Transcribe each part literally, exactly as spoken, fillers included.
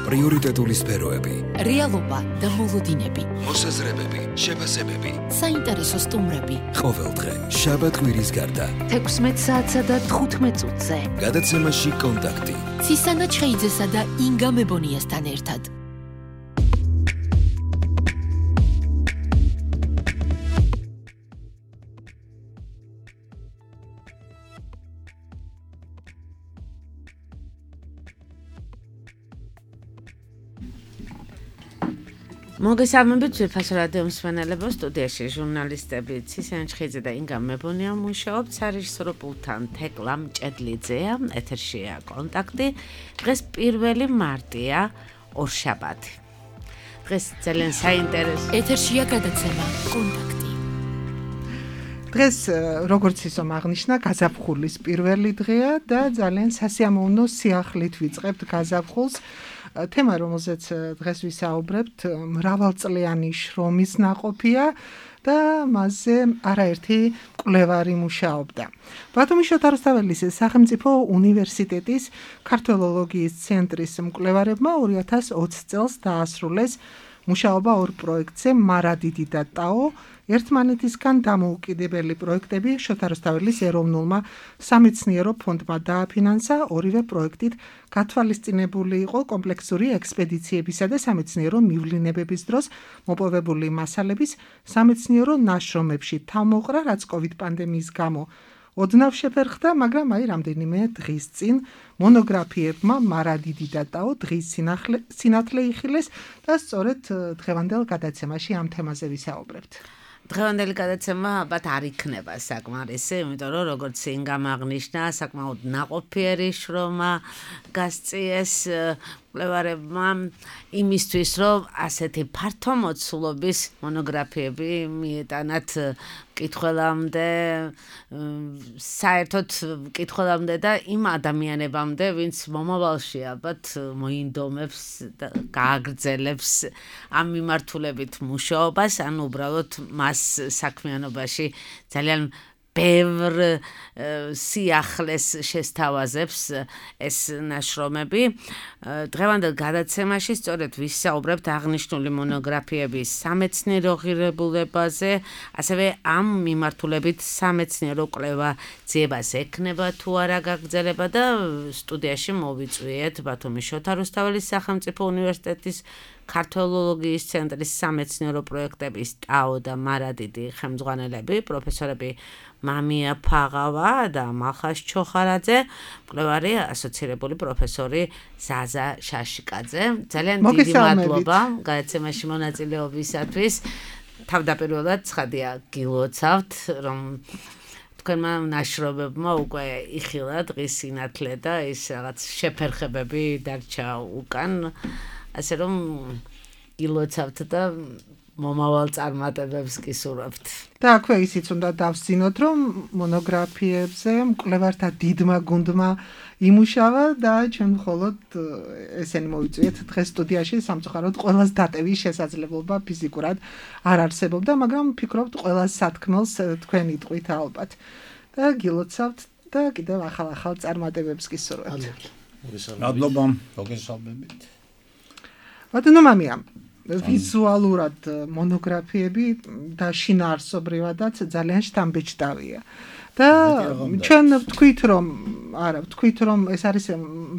პრიორიტეტული სფეროები, რეალობა და მოლოდინები, მოსაზრებები, შეფასებები, საინტერესო სტუმრები. ყოველდღე შაბათ კვირის გარდა თექვსმეტ საათსა და თხუთმეტ წუთზე გადაცემაში კონტაქტი ცისანა ჩხეიძესა და ინგა მებონიასთან ერთად. მოგესალმებით ვიფასო რადიო მსმენელებო, სტუდიაში ჟურნალისტები ცისანა ჩხეიძე და ინგა მებონია მუშაობთ, სარეჟისორო პულტთან თეკლა მჭედლიძეა, ეთერშია კონტაქტი. დღეს პირველი მარტია, ორშაბათი. დღეს ძალიან საინტერესო ეთერშია გადაცემა კონტაქტი. დღეს როგორც ისომ აღნიშნა, გაზაფხულის პირველი დღეა და ძალიან სასიამოვნო სიახლით ვიწყებთ გაზაფხულს. თემა, რომელზეც დღეს ვისაუბრებთ, მრავალწლიანი შრომის ნაყოფია და მასზე არაერთი მკვლევარი მუშაობდა. ბათუმის შოთა რუსთაველის სახელმწიფო უნივერსიტეტის ქართველოლოგიის ცენტრის მკვლევარებმა ორი ათას ოცი წელს დაასრულეს მუშაობა ორ პროექტზე, მარადიდი და ტაო, ერთმანეთისგან დამოუკიდებელი პროექტები შოთა რუსთაველის ეროვნულმა სამეცნიერო ფონდმა დააფინანსა. ორივე პროექტით გათვალისწინებული იყო კომპლექსური ექსპედიციებისა და სამეცნიერო მივლინებების დროს მოპოვებული მასალების სამეცნიერო ნაშრომებში თავმოყრა, რაც კოვიდ პანდემიის გამო ოდნავ შეფერხდა, მაგრამ აი რამდენიმე დღის წინ მონოგრაფიებმა მარადიდი და ტაო დღის სინათლე იხილეს და სწორედ დღევანდელ გადაცემაში ამ თემაზე ვისაუბრებთ. დღევანდელი გადაცემა ალბათ არ იქნება საკმარისი, იმიტომ რომ როგორც ინგამ აღნიშნა, საკმაოდ ნაყოფიერი შრომა გასწიეს მკვლევარებმა იმისთვის, რომ ასეთი ფართო მოცულობის მონოგრაფიები მიეტანათ მკითხველამდე, საერთოდ მკითხველამდე და იმ ადამიანებამდე, ვინც მომავალში ალბათ მოინდომებს და გააგრძელებს ამ მიმართულებით მუშაობას, ან უბრალოდ მას საქმიანობაში ძალიან ბევრ სიახლეს შესთავაზებს ეს ნაშრომები. დღევანდელ გადაცემაში სწორედ ვისაუბრებთ აღნიშნული მონოგრაფიების სამეცნიერო ღირებულებაზე, ასევე ამ მიმართულებით სამეცნიერო კვლევა ძიებას ექნება თუ არა გაგრძელება და სტუდიაში მოვიწვიეთ ბათუმის შოთა რუსთაველის სახელმწიფო უნივერსიტეტის ქართველოლოგიის ცენტრის სამეცნიერო პროექტების ტაო და მარადიდი ხელმძღვანელები, პროფესორები მამია ფაღავა და მახას ჩოხარაძე, მკვლევარი ასოცირებული პროფესორი ზაზა შაშიკაძე. ძალიან დიდი მადლობა გადაცემაში მონაწილეობისათვის. თავდაპირველად ცხადია გილოცავთ, რომ თქვენმა ნაშრომებმა უკვე იხილა დღის სინათლე და ის რაღაც შეფერხებები დარჩა უკან. ასე რომ გილოცავთ და მომავალ წარმატებებს გისურვებთ. და აქვე ისიც უნდა დავსწინოთ, რომ მონოგრაფიებზე მკვლევართა დიდმა გუნდმა იმუშავა და ჩვენ მხოლოდ ესენი მოვიწვიეთ დღეს სტუდიაში, სამწუხაროდ ყველას დატევის შესაძლებლობა ფიზიკურად არ არსებობდა, მაგრამ ვფიქრობთ ყველას სათქმელს თქვენ იტყვით ალბათ. და გილოცავთ და კიდევ ახალ-ახალ წარმატებებს გისურვებთ. მადლობა, მოგესალმებით. ბატონო მამია, ვიზუალურად მონოგრაფიები და შინაარსობრივადაც ძალიან შთამბეჭდავია. და ჩვენ ვთქვით, რომ არა, ვთქვით, რომ ეს არის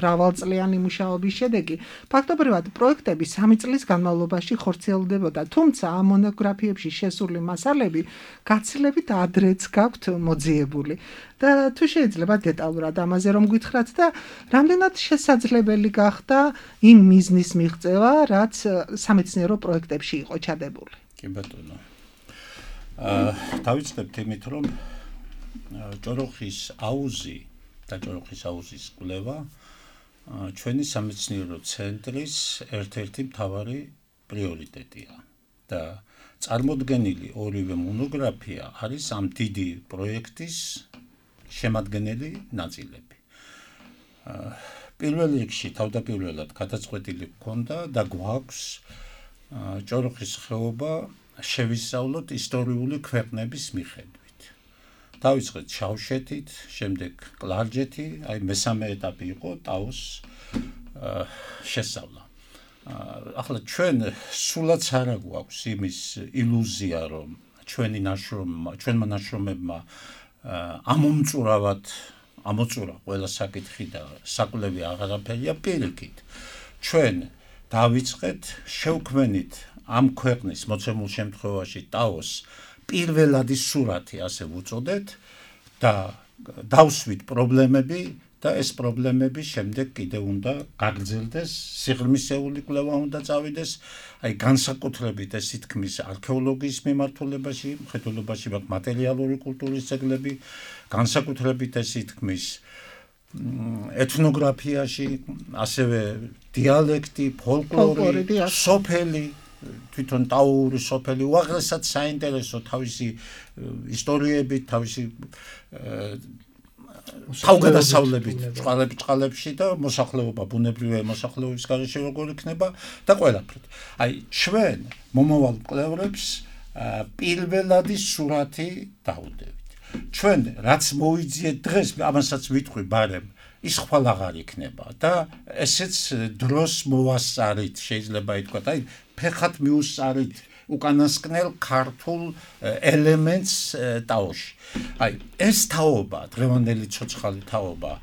მრავალწლიანი მუშაობის შედეგი. ფაქტობრივად პროექტები სამი წლის განმავლობაში ხორციელდებოდა, თუმცა ამ მონოგრაფიებში შესული მასალები გაცილებით ადრეც გაქვთ მოძიებული. და თუ შეიძლება დეტალურად ამაზე რომ გითხრათ და რამდენად შესაძლებელი გახდა იმ მიზნის მიღწევა, რაც სამეცნიერო პროექტებში იყო ჩადებული. კი ბატონო. აა დავიწყებთ იმით, რომ ჭოროხის აუზი და ჭოროხის აუზის კვლევა ჩვენი სამეცნიერო ცენტრის ერთ-ერთი მთავარი პრიორიტეტია და წარმოდგენილი ორივე მონოგრაფია არის ამ დიდი პროექტის შემადგენელი ნაწილები. პირველ რიგში თავდაპირველად გადაწყვეტილი ჰქონდა და გვაქვს ჭოროხის ხეობა შევისწავლოთ ისტორიული ქვეყნების მიხედვით. დავიწყეთ შავშეთით, შემდეგ კლარჯეთი, აი მესამე ეტაპი იყო ტაოს შესწავლა. ახლა ჩვენ სულაც არ გვაქვს იმის ილუზია, რომ ჩვენი ნაშრომმა, ჩვენმა ნაშრომებმა ამომწურავად ამოწურა ყველა საკითხი და საკვლევი აღარაფერია, პირიქით. ჩვენ დავიწყეთ შევქმნით ამ ქვეყნის მოცემულ შემთხვევაში ტაოს პირველადი სურათი, ასე ვუწოდეთ და დავსვით პრობლემები და ეს პრობლემები შემდეგ კიდევ უნდა გაგრძელდეს, სიღრმისეული კვლევა უნდა წავიდეს, აი განსაკუთრებით ეს თქმის არქეოლოგიის მიმართულებაში, მხედველობაში მაგ მატერიალური კულტურის ძეგლები, განსაკუთრებით ეს თქმის ეთნოგრაფიაში, ასევე დიალექტი, ფოლკლორი, სოფელი, თვითონ ტაოური სოფელი, უაღრესად საინტერესო თავისი ისტორიებით, თავისი თავგადასავლებით წყალებში და მოსახლეობა, ბუნებრივი მოსახლეობის გარეშე როგორ იქნება და ყველაფრით. აი, ჩვენ მომავალ მკვლევრებს პირველადი სურათი დავუდევით. ჩვენ რაც მოიძიეთ დღეს, ამასაც ვიტყვი ბარემ, ის ხვალ აღარ იქნება და ესეც დროს მოვასწარით, შეიძლება ითქვათ, აი, ფეხად მიუსწარით უკანასკნელ ქართულ ელემენტს ტაოში. აი, ეს თაობა, დღევანდელი ცოცხალი თაობა,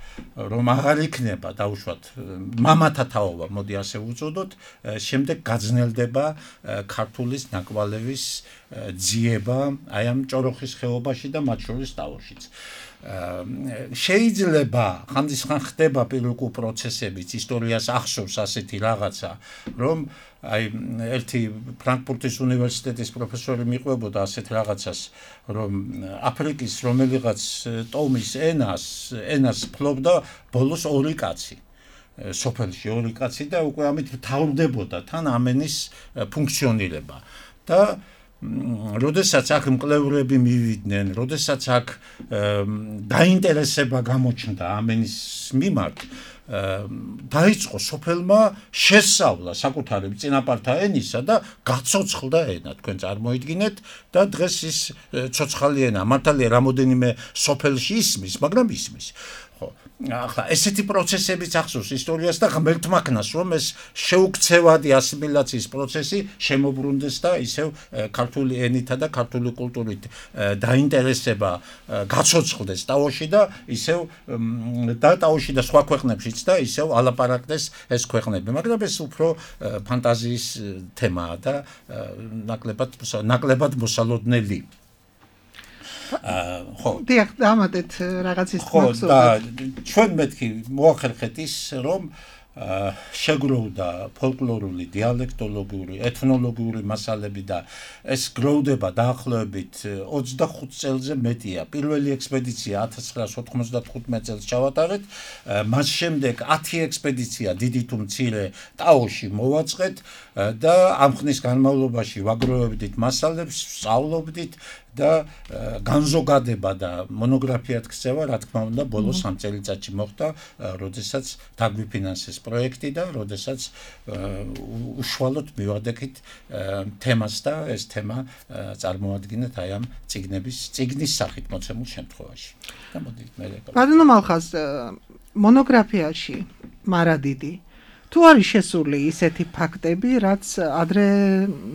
რომ აღარ იქნება, დაუშვათ, მამათა თაობა, მოდი ასე ვუწოდოთ, შემდეგ გაძნელდება ქართულის ნაკვალევის ძიება, აი ამ ჭოროხის ხეობაში და მათ შორის ტაოშიც. შეიძლება ხანდისხან ხდება პირუკუ პროცესებიც, ისტორიას ახსოვს ასეთი რაღაცა, რომ აი ერთი ფრანკფურტის უნივერსიტეტის პროფესორი მიყვებოდა ასეთ რაღაცას, რომ აფრიკის რომელიღაც ტომის ენას, ენას ფლობდა ბოლოს ორი კაცი. სოფელში ორი კაცი და უკვე ამით მთავრდებოდა თან ამენის ფუნქციონირება. და როდესაც აქ მკვლევრები მივიდნენ, როდესაც აქ დაინტერესება გამოჩნდა ამენის მიმართ, დაიწყო სოფელმა შესწავლა საკუთარი წინაპართა ენისა და გაცოცხლდა ენა, თქვენ წარმოიდგინეთ და დღეს ის ცოცხალი ენა, მართალია რამოდენიმე სოფელში ისმის, მაგრამ ისმის. ხო, ახლა ესეთი პროცესებიც ახსოვს ისტორიას და ღმერთმაქნას, რომ ეს შეუქცევადი ასიმილაციის პროცესი შემოbrunდეს და ისევ ქართული ენითა და ქართული კულტურით დაინტერესება გაცოცხლდეს ტაოში და ისევ და ტაოში და სხვა ქვეყნებშიც და ისევ ალაპარაკდეს ეს ქვეყნები, მაგრამ ეს უფრო ფანტაზიის თემაა და ნაკლებად ნაკლებად მოსალოდნელი. ხო, დიახ, ამათეთ რაღაცის მახსოვს. ხო, და ჩვენ მეთქი მოახერხეთ ის, რომ შეგროვდა ფოლკლორული, დიალექტოლოგიური, ეთნოლოგიური მასალები და ეს გროვდება დაახლოებით ოცდახუთ წელზე მეტია. პირველი ექსპედიცია ათას ცხრაასი ოთხმოცდათხუთმეტ წელს ჩავატარეთ, მას შემდეგ ათი ექსპედიცია დიდი თუ მცირე ტაოში მოვაწყეთ და ამ ხნის განმავლობაში ვაგროვებდით მასალებს, სწავლობდით და განზოგადება და მონოგრაფიად ქცევა, რა თქმა უნდა, ბოლოს სამ წელიწადში მოხდა, როდესაც დაგვიფინანსეს პროექტი და როდესაც უშუალოდ მივადექით თემას და ეს თემა წარმოადგენთ აი ამ წიგნების წიგნის სახით მოცემულ შემთხვევაში. და მოდით მე ბატონო მალხაზ, მონოგრაფიაში მარადიდი თუ არის შესული ისეთი ფაქტები, რაც ადრე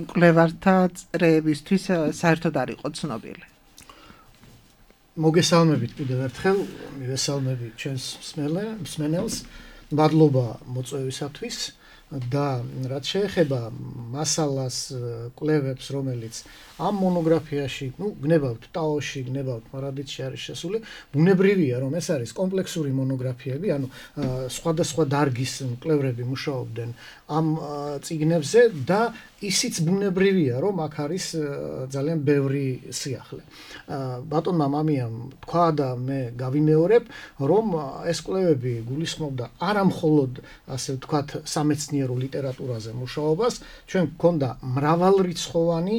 მკვლევართა წრეებისთვის საერთოდ არ იყო ცნობილი. მოგესალმებით კიდევ ერთხელ, მივესალმებით ჩვენს მსმენელს, მადლობა მოწვევისათვის და რაც შეეხება მასალას, კვლევებს, რომელიც ამ მონოგრაფიაში, ну, გნებავთ ტაოში, გნებავთ მარადიდში არის შესული, ბუნებრივია, რომ ეს არის კომპლექსური მონოგრაფიები, ანუ სხვადასხვა დარგის მკვლევრები მუშაობდნენ ამ წიგნებზე და ისიც ბუნებრივია, რომ აქ არის ძალიან ბევრი სიახლე. ბატონმა მამიამ თქვა და მე გავიმეორებ, რომ ეს კვლევები გულისხმობდა არა მხოლოდ, ასე ვთქვათ, სამეცნიერო ლიტერატურაზე მუშაობას, ჩვენ გქონდა მრავალრიცხოვანი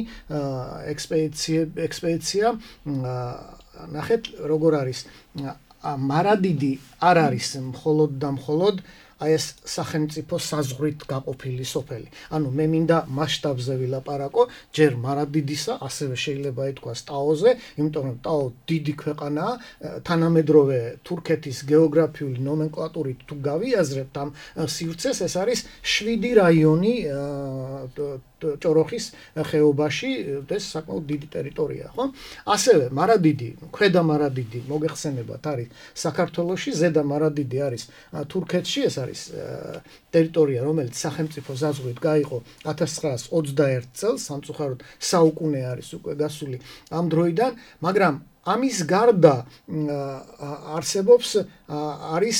ექსპედიცია, ექსპედიცია, ნახეთ, როგორ არის მარადიდი არ არის მხოლოდ და მხოლოდ აი ეს სახელმწიფო საზღვრით გაყოფილი სოფელი. ანუ მე მინდა მასშტაბზე ვილაპარაკო, ჯერ მარადიდისა, ასევე შეიძლება ითქვას ტაოზე, იმიტომ რომ ტაო დიდი ქვეყანაა, თანამედროვე თურქეთის გეოგრაფიული ნომენკლატურით თუ გავიაზრებთ ამ სივრცეს, ეს არის შვიდი რაიონი ჭოროხის ხეობაში, ეს საკმაოდ დიდი ტერიტორია, ხო? ასევე მარადიდი, ქვედა მარადიდი მოგეხსენებათ არის საქართველოში, ზედა მარადიდი არის თურქეთში, ეს არის ტერიტორია, რომელიც სახელმწიფო საზღვრით გაიყო ათას ცხრაას ოცდაერთ წელს, სამწუხაროდ საუკუნე არის უკვე გასული ამ დროიდან, მაგრამ ამის გარდა არსებობს არის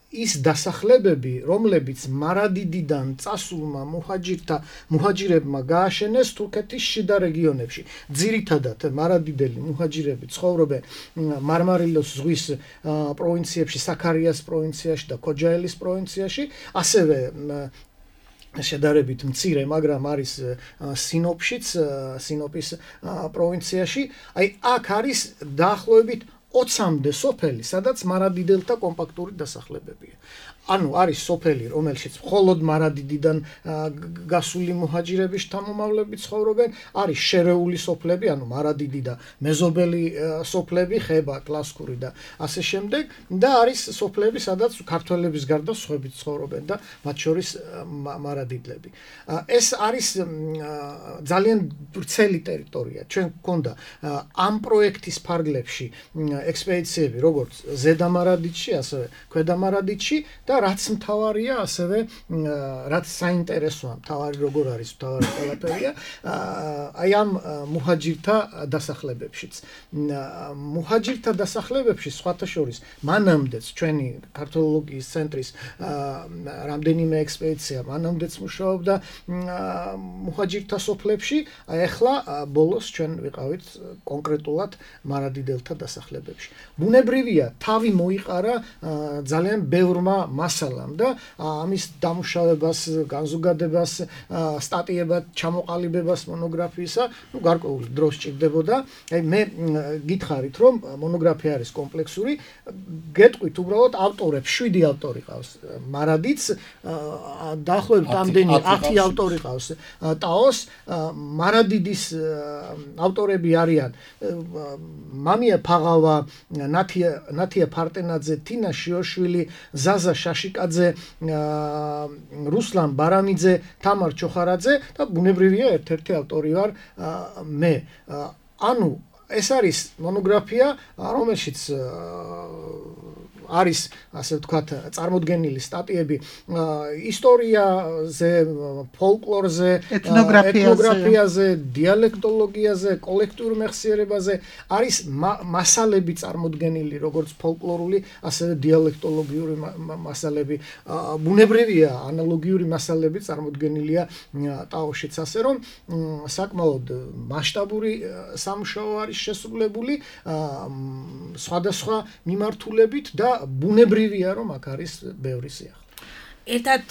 ის დასახლებები, რომლებიც მარადიდიდან წასულმა მუჰაჯირთა მუჰაჯირებმა გააშენეს თურქეთის შიდა რეგიონებში. ძირითადად მარადიდელი მუჰაჯირები ცხოვრობენ მარმარილოს ზღვის პროვინციებში, საქარიას პროვინციაში და ქოჯაელის პროვინციაში, ასევე შედარებით მცირე, მაგრამ არის სინოპშიც, სინოპის პროვინციაში. აი აქ არის დაახლოებით ოცამდე სოფელი, სადაც მარადიდელთა კომპაქტური დასახლებებია. ანუ არის სოფელი, რომელშიც მხოლოდ მარადიდიდან გასული მუჰაჯირების შთამომავლები ცხოვრობენ, არის შერეული სოფლები, ანუ მარადიდი და მეზობელი სოფლები, ხება, კლასკური და ასე შემდეგ, და არის სოფლები, სადაც ქართველების გარდა სხვაებიც ცხოვრობენ და მათ შორის მარადიდლები. ეს არის ძალიან ვრცელი ტერიტორია. ჩვენ გქონდა ამ პროექტის ფარგლებში ექსპედიციები, როგორც ზედა მარადიდში, ასევე ქვედა მარადიდში და რაც მთავარია, ასევე რაც საინტერესოა, მთავარი როგორ არის, მთავარი ყველაფერია, აი ამ მუჰაჯირთა დასახლებებშიც. მუჰაჯირთა დასახლებებში სხვათა შორის მანამდეც ჩვენი ქართველოლოგიის ცენტრის რამდენიმე ექსპედიცია მანამდეც მუშაობდა მუჰაჯირთა სოფლებში, აი ახლა ბოლოს ჩვენ ვიყავით კონკრეტულად მარადიდელთა დასახლებებში. ბუნებრივია, თავი მოიყარა ძალიან ბევრმა მასალამ და ამის დამუშავებას, განზოგადებას, სტატიებად ჩამოყალიბებას მონოგრაფიისა, ნუ გარკვეული დრო სჭირდებოდა. აი მე გითხარით, რომ მონოგრაფია არის კომპლექსური, გეტყვით უბრალოდ ავტორებს, შვიდი ავტორი ყავს. მარადიც დაახლოებით ამდენი ათი ავტორი ყავს. ტაოს მარადიდის ავტორები არიან მამია ფაღავა, ნათია ნათია ფარტენაძე, თინა შიოშვილი, ზაზა შაშიკაძე, რუსლან ბარამიძე, თამარ ჩოხარაძე და ბუნებრივია ერთ-ერთი ავტორი ვარ მე. ანუ ეს არის მონოგრაფია, რომელშიც არის, ასე ვთქვათ, წარმოდგენილი სტატიები ისტორიაზე, ფოლკლორზე, ეთნოგრაფიაზე, დიალექტოლოგიაზე, კოლექტიურ მეხსიერებაზე, არის მასალები წარმოდგენილი, როგორც ფოლკლორული, ასევე დიალექტოლოგიური მასალები. ბუნებრივია, ანალოგიური მასალები წარმოდგენილია ტაოშიც, ასე რომ საკმაოდ მასშტაბური სამუშაო არის შესრულებული სხვადასხვა მიმართულებით და ბუნებრივია, რომ აქ არის ბევრი სიახლე. ერთად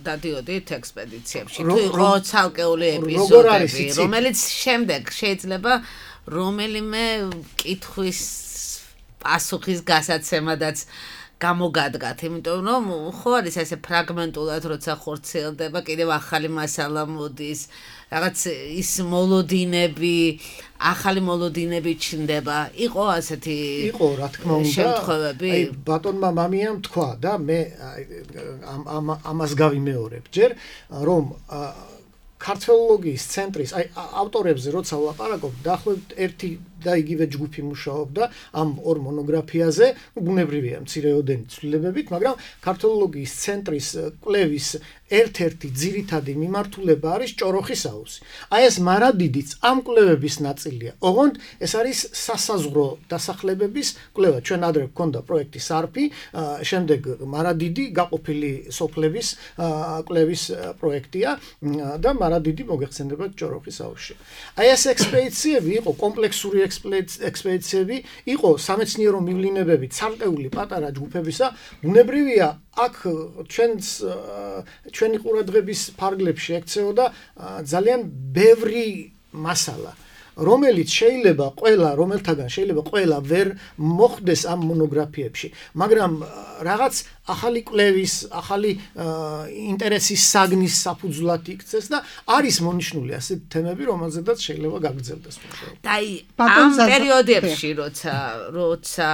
დადიოდით ექსპედიციებში, თუ იყო ცალკეული ეპიზოდები, რომელიც შემდეგ შეიძლება რომელიმე კითხვის პასუხის გასაცემადაც გამოგადგათ, იმიტომ რომ ხო არის ესე ფრაგმენტულად, როცა ხორციელდება, კიდევ ახალი მასალა მოდის, რაღაც ის მოლოდინები, ახალი მოლოდინები ჩნდება. იყო ასეთი იყო, რა თქმა უნდა, შემთხვევები. აი ბატონმა მამიამ თქვა და მე ამ ამას გავიმეორებ ჯერ, რომ ქართველოლოგიის ცენტრის აი ავტორებზე როცა ვლაპარაკობ, დაახლოებით ერთი და იგივე ჯგუფი მუშაობდა ამ ორ მონოგრაფიაზე, ბუნებრივია მცირეოდენი ცვლილებებით, მაგრამ ქართველოლოგიის ცენტრის კვლევის ერთ-ერთი ძირითადი მიმართულება არის ჭოროხის აუზი. აი ეს მარადიდიც ამ კვლევების ნაწილია. ოღონდ ეს არის სასაზღვრო დასახლებების კვლევა. ჩვენ ადრე გქონდა პროექტი სარფი, შემდეგ მარადიდი გაყოფილი სოფლების კვლევის პროექტია და მარადიდი მოგეხსენებათ ჭოროხის აუზში. აი ეს ექსპედიციები იყო კომპლექსური ექსპედიციები, იყო სამეცნიერო მივლინებები ცალკეული პატარა ჯგუფებისა. ბუნებრივია, აქ ჩვენს ჩვენი ყურადღების ფარგლებში ექცეოდა ძალიან ბევრი მასალა. რომელიც შეიძლება ყველა რომელთაგან შეიძლება ყველა ვერ მოხდეს ამ მონოგრაფიებში, მაგრამ რაღაც ახალი კვლევის, ახალი ინტერესის საგნის საფუძვლად იქცეს და არის მონიშნული ასეთ თემები, რომელზედაც შეიძლება გაგრძელდეს მუშაობა. და ამ პერიოდებში, როცა როცა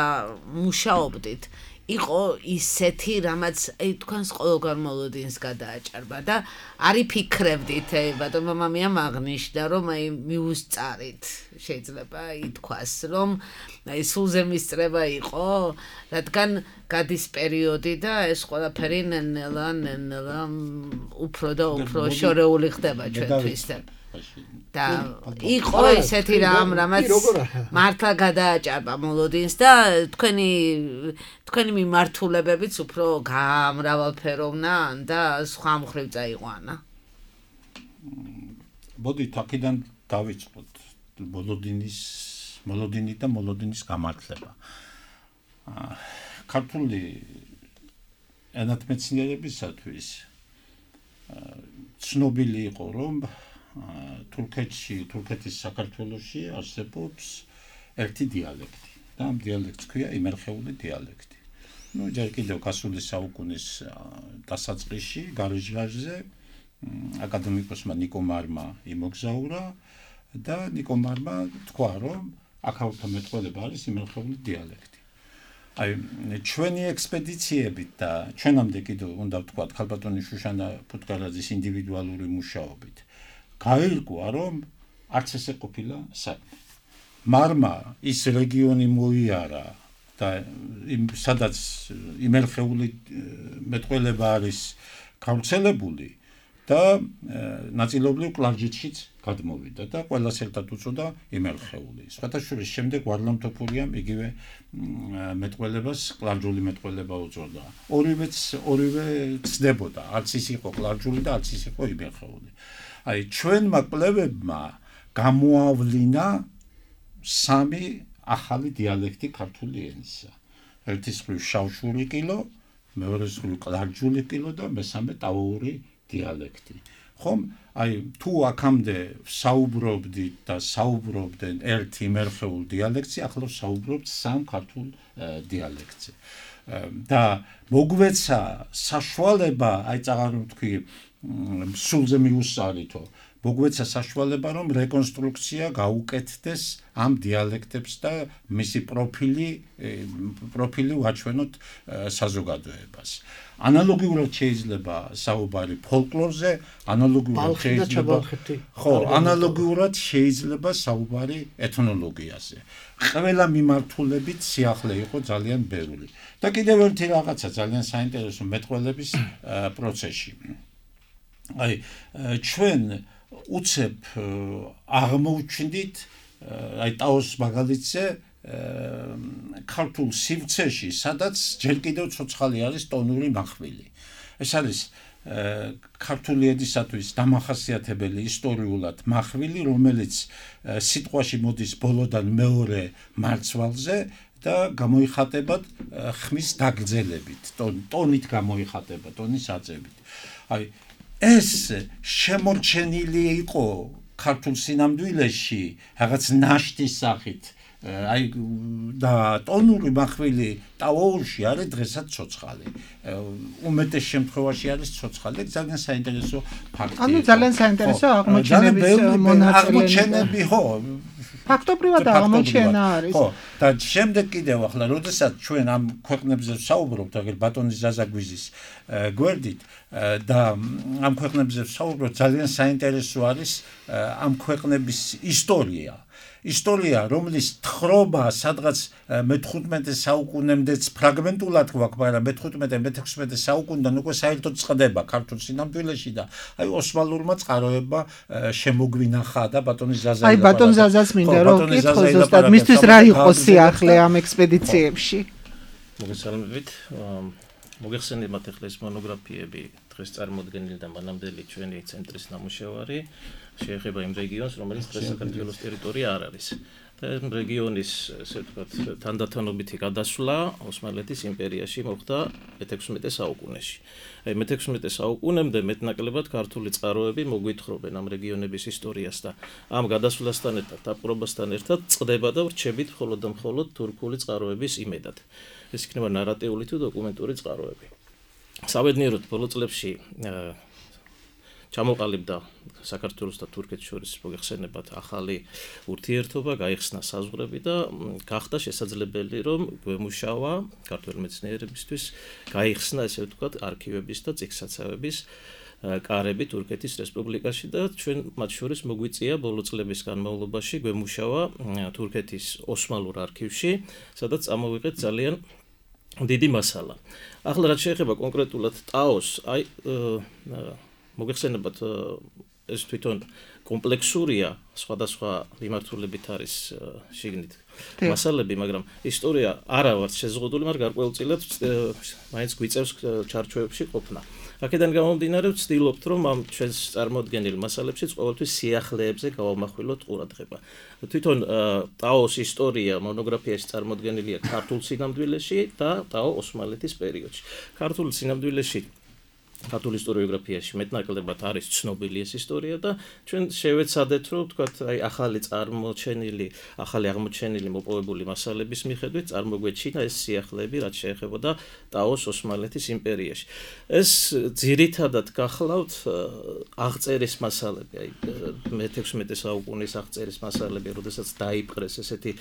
მუშაობდით, იყო ისეთი, რამაც აი თქვენს ყოველგვარ მოლოდინს გადააჭარბა და არი ფიქრებდით, ბატონ მამამიამ აღნიშნა, რომ აი მიუსწარით, შეიძლება ითქვას, რომ აი სულზე მისწრება იყო, რადგან გადის პერიოდი და ეს ყველაფერი ნელა ნელა უფრო და უფრო შორეული ხდება ჩვენთვის და იყო ესეთი რამ, რამაც მართლა გადააჭარბა მოლოდინს და თქვენი თქვენი მიმართულებებიც უფრო გამრავალფეროვნა და სხვა მხრივ წაიყვანა. მოდით აქედან დავიწყოთ მოლოდინის მოლოდინი და მოლოდინის გამართლება. ქართული ენათმეცნიერებისათვის ცნობილი იყო, რომ თურქეთში, თურქეთის საქართველოში არსებობს ერთი დიალექტი და ამ დიალექტს ქვია იმერხეული დიალექტი. ნუ ჯერ კიდევ გასული საუკუნის დასაწყისში გარეჟღარზე აკადემიკოსმა ნიკო მარმა იმოგზაურა და ნიკო მარმა თქვა, რომ აქაურთა მეტყველება არის იმერხეული დიალექტი. აი ჩვენი ექსპედიციებით და ჩვენამდე კიდევ უნდა ვთქვათ ქალბატონი შუშანა ფუტკარაძის ინდივიდუალური მუშაობით გაირკვა, რომ არც ესე ყოფილა საქმე. მარმა ის რეგიონი მოიარა და სადაც იმერხეული მეტყველება არის გავრცელებული და ნაწილობრივ კლარჯეთშიც გადმოვიდა და ყველას ერთად უწოდა იმერხეული. სხვათა შორის შემდეგ ვარლამ თოფურიამ იგივე მეტყველებას კლარჯული მეტყველება უწოდა. ორივეც ორივე ცდებოდა, არც ის იყო კლარჯული და არც ის იყო იმერხეული. აი ჩვენმა კვლევებმა გამოავლინა სამი ახალი დიალექტი ქართული ენისა. ერთის მხრივ შავშური კილო, მეორეს მხრივ კლარჯული კილო და მესამე ტავოური დიალექტი. ხომ? აი თუ აქამდე საუბრობდით და საუბრობდნენ ერთ იმერხეულ დიალექტზე, ახლა საუბრობთ სამ ქართულ დიალექტზე. და მოგვეცა საშუალება, აი წაღარ ვთქვი, სულზე მიუსწარითო, მოგვეცა საშუალება, რომ რეკონსტრუქცია გაუკეთდეს ამ დიალექტებს და მისი პროფილი პროფილი ვაჩვენოთ საზოგადოებას. ანალოგიურად შეიძლება საუბარი ფოლკლორზე, ანალოგიურად შეიძლება ხო, ანალოგიურად შეიძლება საუბარი ეთნოლოგიაზე. ყველა მიმართულებით სიახლე იყო ძალიან ბევრი. და კიდევ ერთი რაღაცა ძალიან საინტერესო მეტყველების პროცესში. აი ჩვენ უცებ აღმოჩნდით აი ტაოს მაგალითზე ქართულ სივრცეში, სადაც ჯერ კიდევ ცოცხალი არის ტონური მახვილი. ეს არის ქართული ენისათვის დამახასიათებელი ისტორიულად მახვილი, რომელიც სიტყვაში მოდის ბოლოდან მეორე მარცვალზე და გამოიხატება ხმის დაგრძელებით, ტონით გამოიხატება, ტონის აწევით. აი ეს შემორჩენილი იყო ქართულ სინამდვილეში რაღაც ნაშთის სახით. აი და ტონური მახვილი ტავოურში არის დღესაც ცოცხალი. უმეტეს შემთხვევაში არის ცოცხალი. ძალიან საინტერესო ფაქტია. ანუ ძალიან საინტერესო აღმოჩენების მონაწილე. აღმოჩენები ხო. ფაქტობრივად აღმოჩენა არის. ხო, და შემდეგ კიდევ ახლა, როდესაც ჩვენ ამ ქვეყნებზე ვსაუბრობთ, აგერ ბატონი ზაზაგვიზის გვერდით და ამ ქვეყნებზე ვსაუბრობთ, ძალიან საინტერესო არის ამ ქვეყნების ისტორია. ისტორია, რომლის თხრობა სადღაც მეთხუთმეტე საუკუნემდეც ფრაგმენტულად გვაქვს, მაგრამ მეთხუთმეტე მეთექვსმეტე საუკუნიდან უკვე საერთოდ წყდება ქართულ სინამდვილეში და აი ოსმალურმა წყაროებმა შემოგვინახა და ბატონი ზაზა აი ბატონ ზაზას მინდა რომ კითხო ზუსტად მისთვის რა იყო სიახლე ამ ექსპედიციებში? მოგესალმებით. მოგეხსენებათ ახლა ეს მონოგრაფიები დღეს წარმოდგენილი და მანამდელი ჩვენი ცენტრის ნამუშევარი შეეხება იმ რეგიონს, რომელიც დღეს საქართველოს ტერიტორია არ არის. რეგიონის, ესე ვთქვათ, თანდათანობითი გადასვლა ოსმალეთის იმპერიაში მოხდა მეთექვსმეტე საუკუნეში. აი მეთექვსმეტე საუკუნემდე მეტნაკლებად ქართული წყაროები მოგვითხრობენ ამ რეგიონების ისტორიას და ამ გადასვლასთან ერთად, დაპყრობასთან ერთად წყდება და ვრჩებით მხოლოდ და მხოლოდ თურქული წყაროების იმედად. ეს იქნება ნარატიული თუ დოკუმენტური წყაროები. საბედნიეროდ ბოლო წლებში ჩამოყალიბდა საქართველოს და თურქეთის შორის მოგეხსენებათ ახალი ურთიერთობა, გაიხსნა საზღვრები და გახდა შესაძლებელი რომ გვემუშავა ქართველ მეცნიერებისთვის გაიხსნა ესე ვთქვათ არქივების და წიგნსაცავების კარები თურქეთის რესპუბლიკაში და ჩვენ მათ შორის მოგვიწია ბოლო წლების განმავლობაში გვემუშავა თურქეთის ოსმალურ არქივში, სადაც წამოვიღეთ ძალიან დიდი მასალა. ახლა რაც შეეხება კონკრეტულად ტაოს, აი მოგეხსენებათ ეს თვითონ კომპლექსურია სხვადასხვა მიმართულებით არის შიგნით მასალები, მაგრამ ისტორია არა ვარ შეზღუდული, მაგრამ გარკვეულწილად მაინც გვიწევს ჩარჩოებში ყოფნა. აქედან გამომდინარე ვცდილობთ რომ ამ ჩვენს წარმოდგენილ მასალებშიც ყოველთვის სიახლეებზე გავამახვილოთ ყურადღება. თვითონ ტაოს ისტორია მონოგრაფიაში წარმოდგენილია ქართულ სინამდვილეში და ტაო ოსმალეთის პერიოდში. ქართულ სინამდვილეში ქართულ ისტორიოგრაფიაში მეტნაკლებად არის ცნობილი ეს ისტორია და ჩვენ შევეცადეთ რომ ვთქვათ აი ახალი წარმოჩენილი, ახალი აღმოჩენილი მოპოვებული მასალების მიხედვით წარმოგვეჩინა ეს სიახლეები, რაც შეეხებოდა ტაოს ოსმალეთის იმპერიაში. ეს ძირითადად გახლავთ აღწერის მასალები, აი მეთექვსმეტე საუკუნის აღწერის მასალები, როდესაც დაიპყრეს ესეთი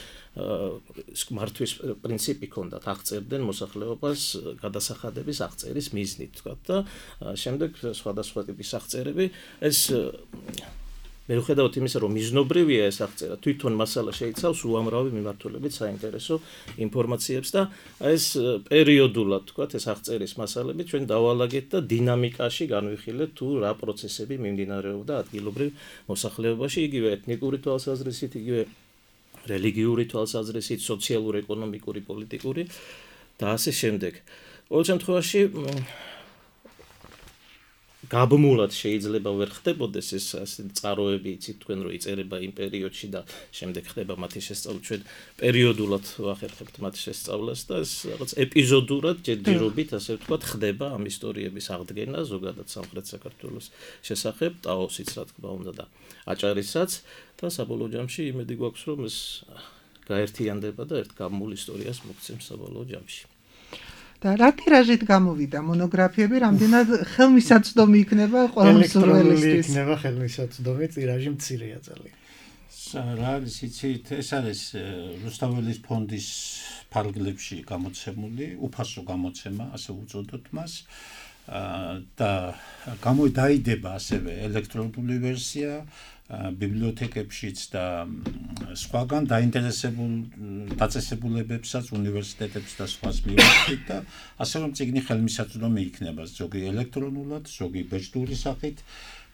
მართვის პრინციპი ჰქონდათ, აღწერდნენ მოსახლეობას გადასახადების აღწერის მიზნით, ვთქვათ და შემდეგ სხვადასხვა ტიპის აღწერები ეს მიუხედავად იმისა რომ მიზნობრივია ეს აღწერა თვითონ მასალა შეიცავს უამრავი მიმართულებით საინტერესო ინფორმაციებს და ეს პერიოდულად თქვათ ეს აღწერის მასალები ჩვენ დავალაგეთ და დინამიკაში განვიხილეთ თუ რა პროცესები მიმდინარეობდა ადგილობრივ მოსახლეობაში იგივე ეთნიკური თვალსაზრისით იგივე რელიგიური თვალსაზრისით სოციალური ეკონომიკური პოლიტიკური და ასე შემდეგ ყოველ შემთხვევაში გაბმულად შეიძლება ვერ ხდებოდეს ეს წყაროები, იცით თქვენ რომ იწერება იმ პერიოდში და შემდეგ ხდება მათი შესწავლა, ჩვენ პერიოდულად ვახერხებთ მათ შესწავლას და ეს რაღაც ეპიზოდურად ჯერჯერობით, ასე ვთქვათ, ხდება ამ ისტორიების აღდგენა ზოგადად სამხრეთ საქართველოს შესახებ, ტაოსიც რა თქმა უნდა და აჭარისაც და საბოლოო ჯამში იმედი გვაქვს რომ ეს გაერთიანდება და ერთ გამულ ისტორიას მოგცემს საბოლოო ჯამში. და რა ტირაჟით გამოვიდა მონოგრაფიები, რამდენად ხელმისაწვდომი იქნება ყველა მსურველისთვის? იქნება ხელმისაწვდომი, ტირაჟი მცირეა ძალიან. რა არის იცით, ეს არის რუსთაველის ფონდის ფარგლებში გამოცემული, უფასო გამოცემა, ასე უწოდოთ მას. და გამოდაიდება ასევე ელექტრონული ვერსია ბიბლიოთეკებშიც და სხვაგან დაინტერესებულ დაწესებულებებსაც უნივერსიტეტებს და სხვას მივახდით და ასე რომ წიგნი ხელმისაწვდომი იქნება ზოგი ელექტრონულად, ზოგი ბეჭდური სახით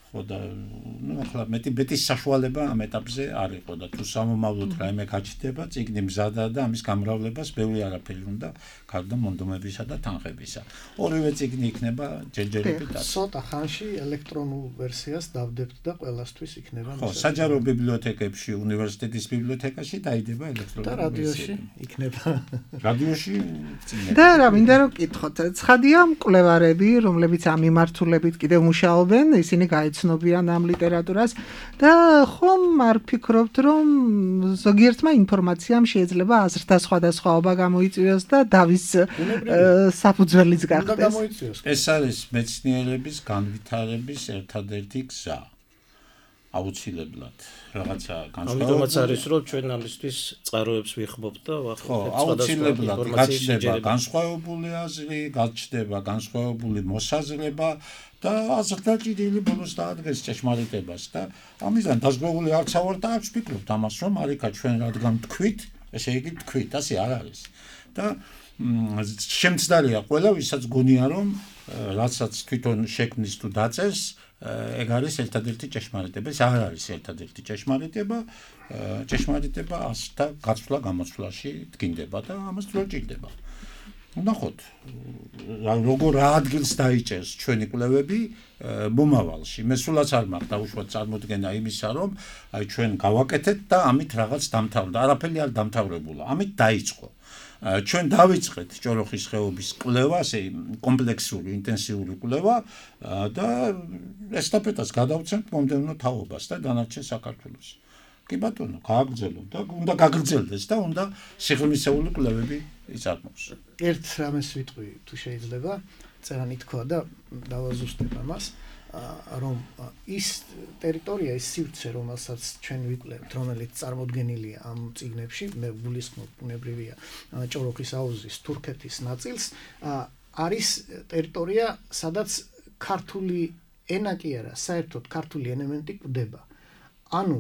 ხო და ნუ ახლა მეტი მეტის საშუალება ამ ეტაპზე არ იყო და თუ სამომავლოდ რაიმე გაჩნდება წიგნი მზადა და ამის გამრავლებას ბევრი არაფერი უნდა გარდა მონდომებისა და თანხებისა. ორივე წიგნი იქნება ჯერჯერობით და ცოტა ხანში ელექტრონულ ვერსიას დავდებთ და ყველასთვის იქნება ხო, საჯარო ბიბლიოთეკებში, უნივერსიტეტის ბიბლიოთეკაში დაიდება ელექტრონული და რადიოში იქნება. რადიოში და რა მინდა რომ კითხოთ, ცხადია მკვლევარები, რომლებიც ამ მიმართულებით კიდევ მუშაობენ, ისინი გაეცნობიან ამ ლიტერატურას და ხომ არ ფიქრობთ რომ ზოგიერთმა ინფორმაციამ შეიძლება აზრთა სხვადასხვაობა გამოიწვიოს და დავის საფუძველიც გახდეს. ეს არის მეცნიერების განვითარების ერთადერთი გზა. აუცილებლად რაღაცა განსხვავებული. ამიტომაც არის რომ ჩვენ ამისთვის წყაროებს ვიხმობთ და ვახერხებთ აუცილებლად გაჩნდება განსხვავებული აზრი, გაჩნდება განსხვავებული მოსაზრება და აზრდაჭირილი ბოლოს დაადგეს ჭეშმარიტებას და ამისგან დაზღვეული არც ავარ და არ ვფიქრობთ ამას რომ არიქა ჩვენ რადგან თქვით, ესე იგი თქვით, ასე არ არის. და შემცდარია ყველა ვისაც გონია რომ რასაც თვითონ შექმნის თუ დაწერს ეგ არის ერთადერთი ჭეშმარიტება, ეს არ არის ერთადერთი ჭეშმარიტება, ჭეშმარიტება ასთა გაცვლა გამოცვლაში დგინდება და ამას ძრო ჭირდება. ნახოთ როგორ რა ადგილს დაიჭერს ჩვენი კვლევები მომავალში. მე სულაც არ მაქვს დაუშვათ წარმოდგენა იმისა, რომ აი ჩვენ გავაკეთეთ და ამით რაღაც დამთავრდა. არაფერი არ დამთავრებულა. ამით დაიწყო. ჩვენ დავიწყეთ ჭოროხის ხეობის კვლევა, ასე კომპლექსური, ინტენსიური კვლევა და ესტაფეტას გადავცემთ მომდევნო თაობას და დანარჩენ საქართველოს. კი ბატონო, გააგრძელოთ და უნდა გაგრძელდეს და უნდა სიღრმისეული კვლევები იწარმოოს. ერთ რამეს ვიტყვი თუ შეიძლება, წერანი თქვა და დავაზუსტებ ამას, რომ ის ტერიტორია, ის სივრცე, რომელსაც ჩვენ ვიკვლევთ, რომელიც წარმოდგენილია ამ წიგნებში, მე გულისხმობ ბუნებრივია ჭოროხის აუზის თურქეთის ნაწილს, არის ტერიტორია, სადაც ქართული ენა კი არა, საერთოდ ქართული ელემენტი გვდება. ანუ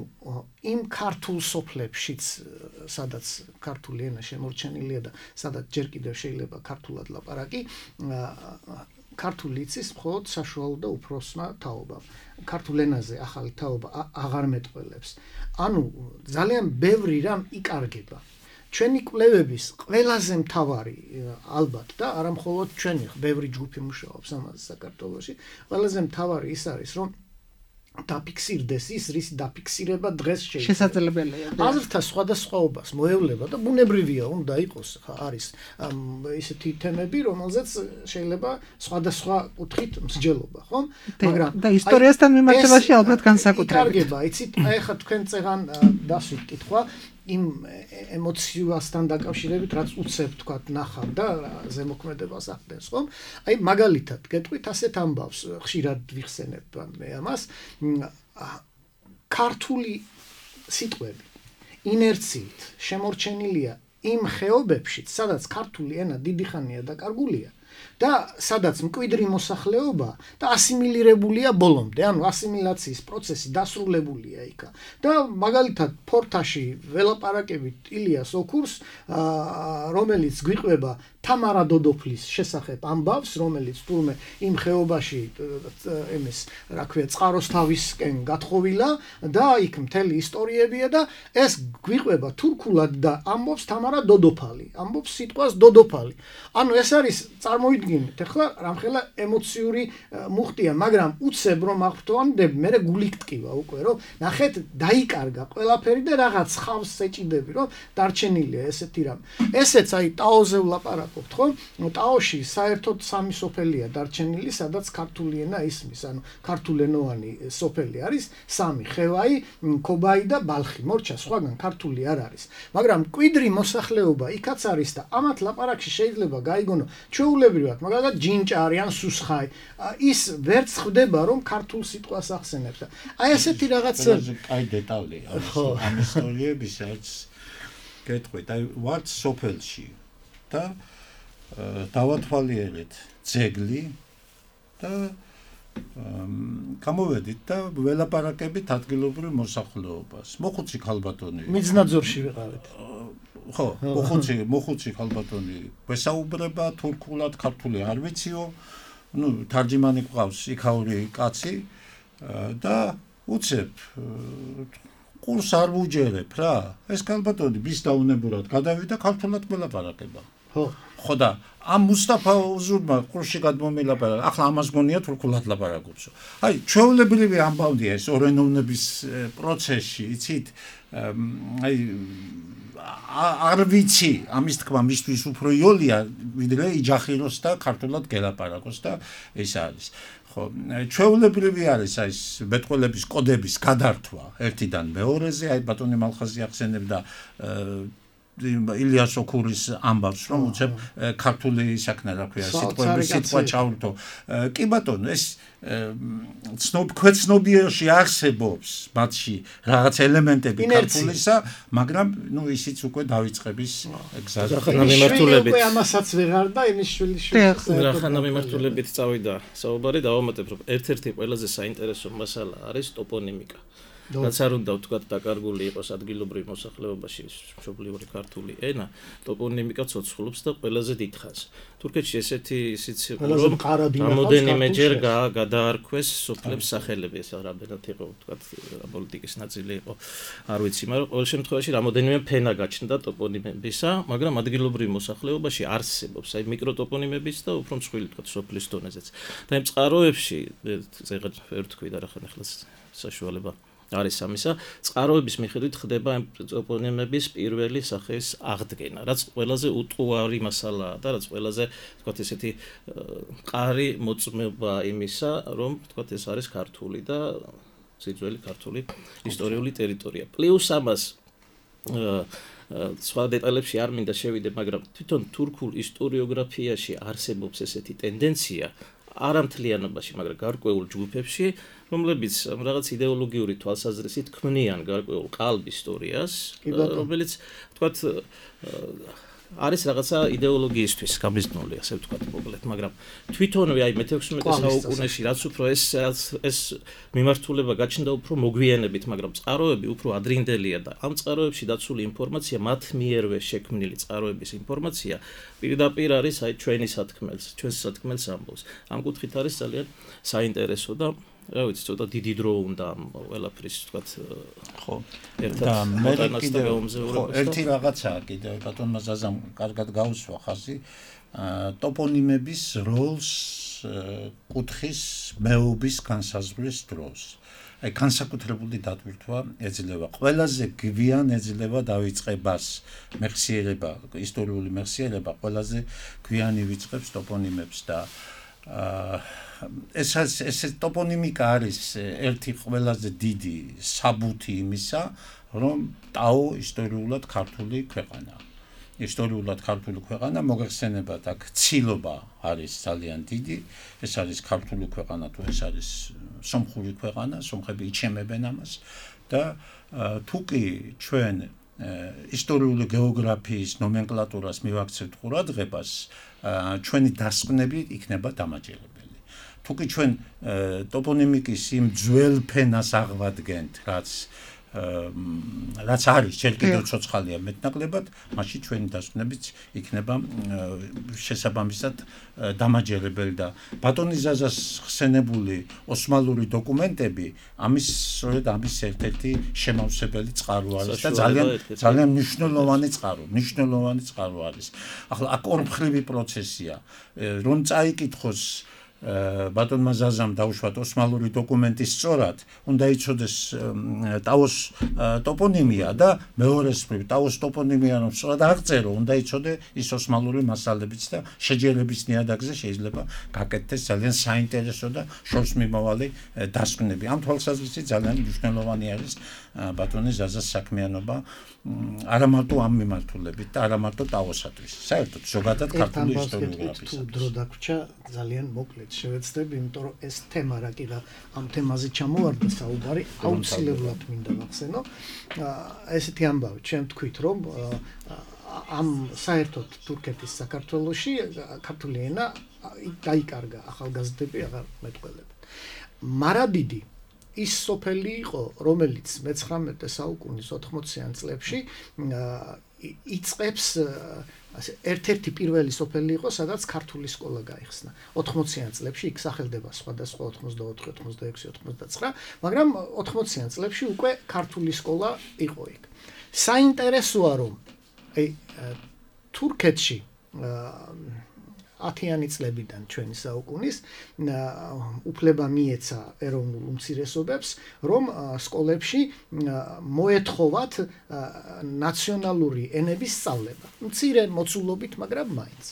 იმ ქართულ სოფლებშიც, სადაც ქართული ენა შემორჩენილია და სადაც ჯერ კიდევ შეიძლება ქართულად ლაპარაკი, ქართული იცის მხოლოდ საშუალო და უფროსმა თაობამ. ქართულ ენაზე ახალი თაობა აღარ მეტყველებს. ანუ ძალიან ბევრი რამ იკარგება. ჩვენი კვლევების ყველაზე მთავარი ალბათ და არა მხოლოდ ჩვენი, ბევრი ჯგუფი მუშაობს ამაზე საქართველოში, ყველაზე მთავარი ის არის, რომ დაფიქსირდეს ის, რის დაფიქსირება დღეს შეიძლება. შესაძლებელია. აზრთა სხვადასხვაობას მოევლება და ბუნებრივია, უნდა იყოს, არის ისეთი თემები, რომელზეც შეიძლება სხვადასხვა კუთხით მსჯელობა, ხო? მაგრამ და ისტორიასთან მიმართებაში ალბათ განსაკუთრებით. იკარგება, იცით, აი ხა თქვენ წეღან დასვით კითხვა იმ ემოციასთან დაკავშირებით, რაც უცებ თქვა ნახავ და ზემოქმედებას ახდენს, ხო? აი მაგალითად, გეტყვით ასეთ ამბავს, ხშირად ვიხსენებ მე ამას, ქართული სიტყვები ინერციით შემორჩენილია იმ ხეობებშიც, სადაც ქართული ენა დიდი ხანია დაკარგულია და სადაც მკვიდრი მოსახლეობა და ასიმილირებულია ბოლომდე, ანუ ასიმილაციის პროცესი დასრულებულია იქა. და მაგალითად ფორთაში ველაპარაკებით ილიას ოქურს, რომელიც გვიყვება თამარა დოდოფლის შესახებ ამბავს, რომელიც თურმე იმ ხეობაში ემის, რა ქვია, წყაროსთავისკენ გათხოვილა და იქ მთელი ისტორიებია და ეს გვიყვება თურქულად და ამბობს თამარა დოდოფალი, ამბობს სიტყვას დოდოფალი. ანუ ეს არის წარმოვიდგინეთ, ახლა რამხელა ემოციური მუხტია, მაგრამ უცებ რომ აღფრთოვანდები, მე გული გტკივა უკვე, რომ ნახეთ, დაიკარგა ყველაფერი და რაღაც ხავს ეჭიდები, რომ დარჩენილია ესეთი რამ. ესეც აი ტაოზე ვლაპარაკობთ, ხო? ტაოში საერთოდ სამი სოფელია დარჩენილი, სადაც ქართული ენა ისმის, ანუ ქართულენოვანი სოფელი არის სამი: ხევაი, ქობაი და ბალხი. მორჩა სხვაგან ქართული არ არის. მაგრამ მკვიდრი მოსახლეობა იქაც არის და ამათ ლაპარაკში შეიძლება გაიგონო ჩვეულებრივად, მაგალითად ჯინჭარი ან სუსხაი, ის ვერც ხვდება, რომ ქართულ სიტყვას ახსენებს. აი ესეთი რაღაც აი დეტალია ამ ისტორიებისაც გეტყვით, აი ვართ სოფელში და დავათვალიერეთ ძეგლი და გამოვედით და ველაპარაკებით ადგილობრივ მოსახლეობას. მოხუცი ქალბატონი მიწნაძორში ვიყავით. ხო, მოხუცი, მოხუცი ქალბატონი ვესაუბრება თურქულად, ქართული არ ვიციო. ნუ თარჯიმანი ყავს იქაური კაცი და უცებ ყურს არ ვუჯერებ რა. ეს ქალბატონი bis დაუნებურად გადავიდა ქართულად ველაპარაკება. ხო. ხო და ამ მუსტაფა უზურმა ყურში გადმომილაპარაკა. ახლა ამას გონია თურქულად ლაპარაკობსო. აი, ჩვეულებრივი ამბავია ეს ორენოვნების პროცესში, იცით? აი არ ვიცი, ამის თქმა მისთვის უფრო იოლია, ვიდრე იჯახიროს და ქართულად გელაპარაკოს და ეს არის. ხო, ჩვეულებრივი არის აი ეს მეტყველების კოდების გადართვა ერთიდან მეორეზე, აი ბატონი მალხაზი ახსენებდა ილიას ოქურის ამბავს, რომ უცებ ქართული საქმე რა ქვია, სიტყვები სიტყვა ჩავრთო. კი ბატონო, ეს ცნობ ქვეცნობიერში არსებობს მათში რაღაც ელემენტები ქართულისა, მაგრამ ნუ ისიც უკვე დაიწყების გზაზე. რახანა მიმართულებით. უკვე ამასაც ვეღარ და იმის შვილი შვილი. რახანა მიმართულებით წავიდა საუბარი, დავამატებ, რომ ერთ-ერთი ყველაზე საინტერესო მასალა არის ტოპონიმიკა. რაც არ უნდა ვთქვათ დაკარგული იყოს ადგილობრივ მოსახლეობაში მშობლიური ქართული ენა, ტოპონიმიკა ცოცხლობს და ყველაზე დიდხანს. თურქეთში ესეთი ისიც იყო, რომ რამოდენიმეჯერ გადაარქვეს სოფლებს სახელები, ეს რამდენად იყო ვთქვათ პოლიტიკის ნაწილი იყო, არ ვიცი, მაგრამ ყოველ შემთხვევაში რამოდენიმე ფენა გაჩნდა ტოპონიმებისა, მაგრამ ადგილობრივ მოსახლეობაში არსებობს აი მიკროტოპონიმების და უფრო მსხვილი ვთქვათ სოფლის დონეზეც. და იმ წყაროებში ზეღად ვერ ვთქვი და რა ხან ახლა საშუალება არის ამისა, წყაროების მიხედვით ხდება ამ ტოპონიმების პირველი სახის აღდგენა, რაც ყველაზე უტყუარი მასალაა და რაც ყველაზე ვთქვათ ესეთი მყარი მოწმობა იმისა, რომ ვთქვათ ეს არის ქართული და ძირძველი ქართული ისტორიული ტერიტორია. პლუს ამას სხვა დეტალებში არ მინდა შევიდე, მაგრამ თვითონ თურქულ ისტორიოგრაფიაში არსებობს ესეთი ტენდენცია არა მთლიანობაში, მაგრამ გარკვეულ ჯგუფებში, რომლებიც რაღაც იდეოლოგიური თვალსაზრისით ქმნიან გარკვეულ ყალბ ისტორიას, რომელიც ვთქვათ არის რაღაცა იდეოლოგიისთვის გამიზნული, ასე ვთქვათ მოკლედ, მაგრამ თვითონვე აი მეთექვსმეტე საუკუნეში რაც უფრო ეს ეს მიმართულება გაჩნდა უფრო მოგვიანებით, მაგრამ წყაროები უფრო ადრინდელია და ამ წყაროებში დაცული ინფორმაცია, მათ მიერვე შექმნილი წყაროების ინფორმაცია პირდაპირ არის აი ჩვენი სათქმელს, ჩვენს სათქმელს ამბობს. ამ კუთხით არის ძალიან საინტერესო და რა ვიცი, ცოტა დიდი დრო უნდა ამ ყველაფრის ვთქვათ ხო. და მე კიდევ ხო, ერთი რაღაცაა კიდევ ბატონმა ზაზამ კარგად გაუსვა ხაზი, ტოპონიმების როლს კუთხის მეობის განსაზღვრის დროს. აი განსაკუთრებული დატვირთვა ეძლევა. ყველაზე გვიან ეძლევა დავიწყებას მეხსიერება, ისტორიული მეხსიერება ყველაზე გვიანი ვიწყებს ტოპონიმებს და ეს ეს ტოპონიმიკა არის ერთი ყველაზე დიდი საბუთი იმისა, რომ ტაო ისტორიულად ქართული ქვეყანაა. ისტორიულად ქართული ქვეყანა მოგეხსენებათ, აქ ცილობა არის ძალიან დიდი, ეს არის ქართული ქვეყანა თუ ეს არის სომხური ქვეყანა, სომხები იჩემებენ ამას და თუკი ჩვენ ისტორიული გეოგრაფიის ნომენკლატურას მივაქცევთ ყურადღებას, ჩვენი დასკვნები იქნება დამაჯერებელი. თუკი ჩვენ ტოპონიმიკის იმ ძველ ფენას აღვადგენთ, რაც რაც არის ჯერ კიდევ ცოცხალია მეტნაკლებად, მაშინ ჩვენი დასკვნებიც იქნება შესაბამისად დამაჯერებელი და ბატონი ზაზას ხსენებული ოსმალური დოკუმენტები ამის სწორედ ამის ერთ-ერთი შემავსებელი წყარო არის და ძალიან ძალიან მნიშვნელოვანი წყარო, მნიშვნელოვანი წყარო არის. ახლა აქ ორმხრივი პროცესია, რომ წაიკითხოს ბატონმა ზაზამ დაუშვათ ოსმალური დოკუმენტი სწორად, უნდა იცოდეს ტაოს ტოპონიმია და მეორეს მხრივ ტაოს ტოპონიმია რომ სწორად აღწერო, უნდა იცოდე ის ოსმალური მასალებიც და შეჯერების ნიადაგზე შეიძლება გაკეთდეს ძალიან საინტერესო და შორს მიმავალი დასკვნები. ამ თვალსაზრისით ძალიან მნიშვნელოვანი არის ბატონი ზაზას საქმიანობა არა მარტო ამ მიმართულებით და არა მარტო ტაოსათვის. საერთოდ ზოგადად ქართული ისტორიოგრაფიის. თუ დრო დაგვრჩა ძალიან მოკლედ შევეცდები, იმიტომ რომ ეს თემა რა კი რა ამ თემაზე ჩამოვარდა საუბარი, აუცილებლად მინდა ვახსენო. ესეთი ამბავი, ჩემ თქვით, რომ ამ საერთოდ თურქეთის საქართველოში ქართული ენა დაიკარგა, ახალგაზრდები აღარ მეტყველებენ. მარადიდი ის სოფელი იყო, რომელიც მეცხრამეტე საუკუნის ოთხმოციან წლებში იწყებს ერთ-ერთი პირველი სოფელი იყო, სადაც ქართული სკოლა გაიხსნა. ოთხმოციან წლებში იქ სახელდება სხვადასხვა ოთხმოცდაოთხი, ოცდაექვსი, ოცდაცხრა, მაგრამ ოთხმოციან წლებში უკვე ქართული სკოლა იყო იქ. საინტერესოა, რომ აი თურქეთში ათიანი წლებიდან ჩვენი საუკუნის უფლება მიეცა ეროვნულ უმცირესობებს, რომ სკოლებში მოეთხოვათ ნაციონალური ენების სწავლება. მცირე მოცულობით, მაგრამ მაინც.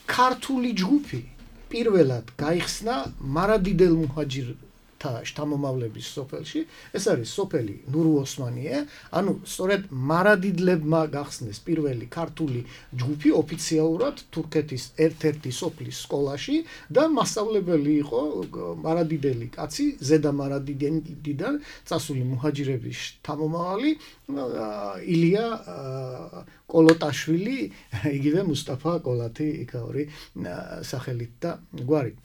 ქართული ჯგუფი პირველად გაიხსნა მარადიდელ მუჰაჯირთა შთამომავლების სოფელში, ეს არის სოფელი ნურუ ოსმანიე, ანუ სწორედ მარადიდლებმა გახსნეს პირველი ქართული ჯგუფი ოფიციალურად თურქეთის ერთ-ერთი სოფლის სკოლაში და მასწავლებელი იყო მარადიდელი კაცი, ზედა მარადიდიდან წასული მუჰაჯირების შთამომავალი ილია კოლოტაშვილი, იგივე მუსტაფა კოლათი იქაური სახელით და გვარით.